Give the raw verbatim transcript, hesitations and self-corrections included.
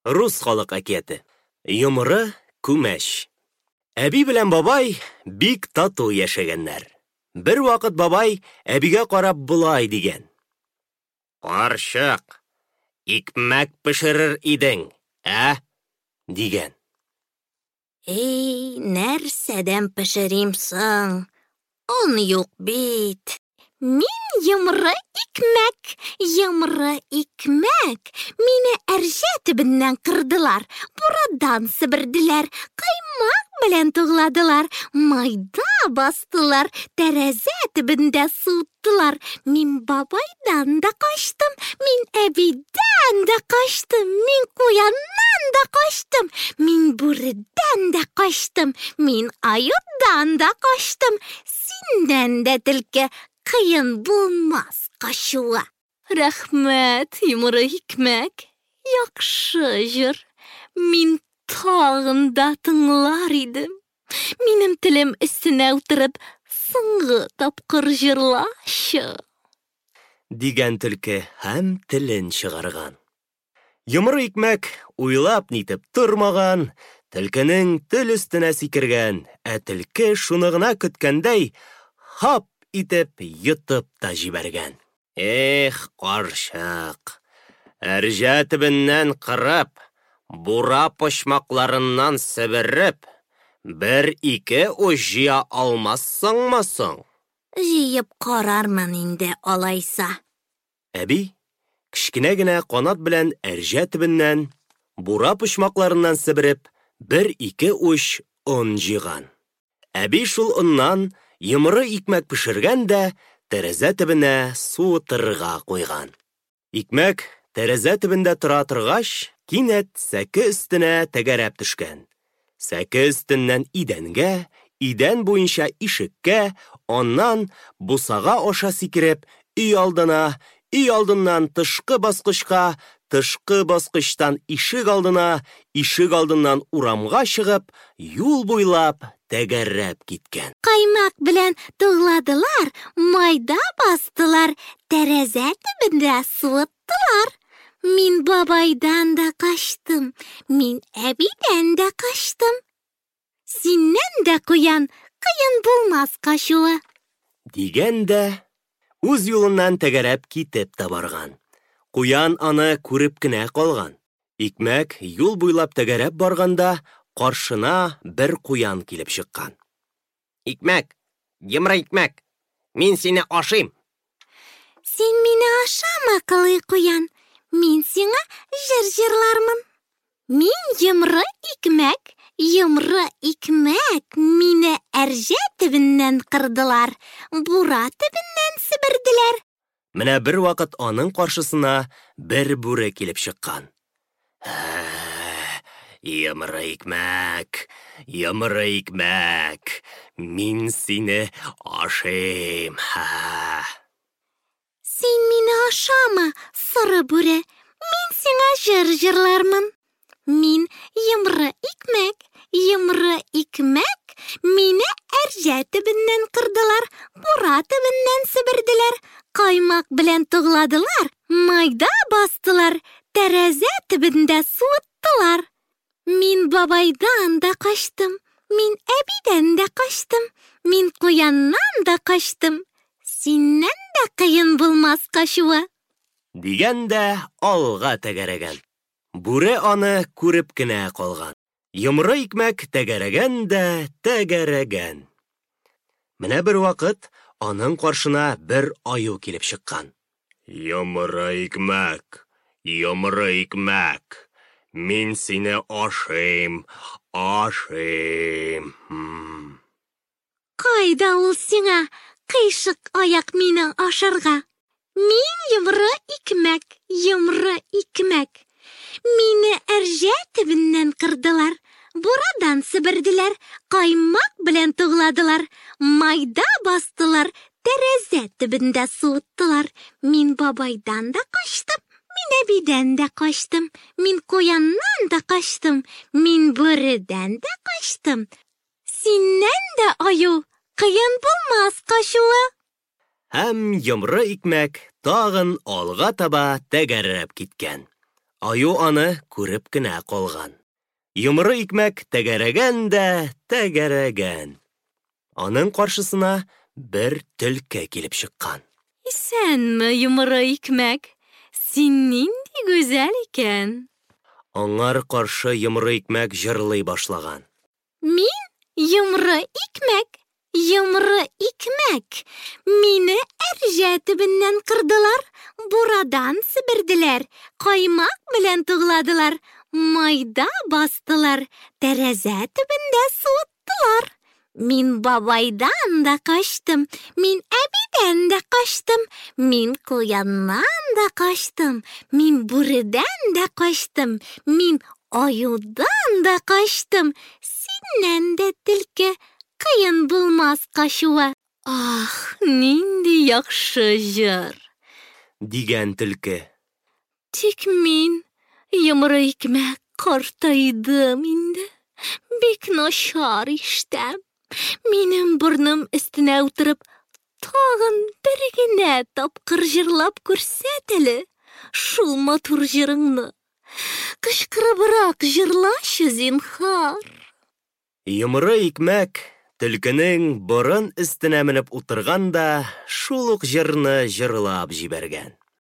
Рус халык әкияте. Йомры күмәч. Әби белән бабай бик тату яшәгәннәр. Бер вакыт бабай әбигә карап болай дигән: "Карчык, икмәк пешерер идең, ә?" дигән. Эй, нәрсәдән пешерим соң? Он юк бит. Мин йомры икмәк, йомры икмәк. Мине әрҗә төбеннән кырдылар, бурадан себерделәр, каймак белән тугладылар, майда бастылар, тәрәзә төбендә суыттылар. Мин бабайдан да качтым, мин әбидән дә качтым, мин куяннан да качтым, мин бүредән дә качтым, мин аюдан да качтым. Синнән дә, төлке, кыен булмас качуы. Рәхмәт, йомры икмәк, яхшы җыр. Мин тагын да тыңлар идем. Минем телем өстенә утырып, соңгы тапкыр җырлачы. Дигән төлке һәм телен чыгарган. Йомры икмәк уйлап нитеп тормаган, төлкенең тел өстенә сикергән, ә төлке шуны гына көткәндәй, хап итеп йотып та җибәргән. Эх, карчык, әрҗә төбеннән кырып, бура почмакларыннан себереп, бер-ике уч җыя алмассыңмы соң? Җыеп карармын инде алайса. Әби кечкенә генә канат белән әрҗә төбеннән, бура почмакларыннан себереп, бер-ике уч он җыйган. Әби шул оннан йомры икмәк пешергән дә тәрәзә төбенә суытырга куйган. Икмәк тәрәзә төбендә тора торгач, кинәт сәке өстенә тәгәрәп төшкән. Сәке өстеннән идәнгә, идән буенча ишеккә, аннан бусага аша сикереп, өй алдына, өй алдыннан тышкы баскычка, тышкы баскычтан ишек алдына, ишек алдыннан урамга чыгып, юл буйлап тәгәрәп киткән. Каймак белән тугладылар, майда бастылар, тәрәзә төбендә суыттылар. Мин бабайдан да качтым, мин әбидән дә качтым. Синнән дә, куян, кыен булмас качуы. Дигән дә үз юлыннан тәгәрәп китеп тә барган. Куян аны күреп кенә калган. Икмәк юл буйлап тәгәрәп барганда, каршына бер куян килеп чыккан. Икмәк, йомры икмәк, мин сине ашыйм. Син мине ашама, кылый куян, мин сиңа җыр җырлармын. Мин йомры икмәк, йомры икмәк, мине әрҗә төбеннән кырдылар, бура төбеннән себерделәр. Менә бер вакыт аның каршысына бер бүре килеп чыккан. Йомры икмәк, йомры икмәк, мин сине ашыйм. Син мине ашама, соры бүре, мин сиңа җыр җырлармын. Мин йомры икмәк, йомры икмәк, мине әрҗә төбеннән кырдылар, бура төбеннән себерделәр, каймак белән тугладылар, майда бастылар, тәрәзә төбендә суыттылар. Мин бабайдан да качтым, мин әбидән дә качтым, мин куяннан да качтым. Синнән дә кыен булмас качуы. Дигән дә алга тәгәрәгән. Бүре аны күреп кенә калган. Йомры икмәк тәгәрәгән дә тәгәрәгән. Менә бер вакыт аның каршына бер аю килеп чыккан. Йомры икмәк, йомры икмәк, мин сине ашыйм, ашыйм. Кайда ул сиңа кыйшык аяк мине ашарга? Мин йомры икмәк, йомры икмәк. Мине әрҗә төбеннән кырдылар, бурадан себерделәр, каймак белән тугладылар, майда бастылар, тәрәзә төбендә суыттылар. Мин бабайдан да качтым, мин әбидән дә качтым, мин куяннан да качтым, мин бүредән дә качтым. Синнән дә, аю, кыен булмас качуы. Һәм йомры икмәк тагын алга таба тәгәрәп киткән. Аю аны күреп кенә калган. Йомры икмәк тәгәрәгән дә тәгәрәгән. Аның каршысына бер төлке килеп чыккан. Исәнме, Йомры икмәк! Син нинди гүзәл икән! Аңар каршы Йомры икмәк җырлый башлаган. Мин Йомры икмәк, Йомры икмәк. Мине әрҗә төбеннән кырдылар, бурадан себерделәр, каймак белән тугладылар, майда бастылар, тәрәзә төбендә суыттылар. Мин бабайдан да качтым, мин әбидән дә качтым, мин куяннан да качтым, мин бүредән дә качтым, мин аюдан да качтым. Синнән дә, төлке, кыен булмас качуы. Ах, нинди яхшы җыр! Дигән төлке. Тик мин, Йомры икмәк, картайдым инде. Бик начар ишетәм. Минем борыным өстенә утырып, тагын бер генә тапкыр җырлап күрсәт әле шул матур җырыңны. Кычкырыбрак җырлачы, зинһар. Йомры икмәк төлкенең борын өстенә менеп утырган да шул ук җырны җырлап җибәргән.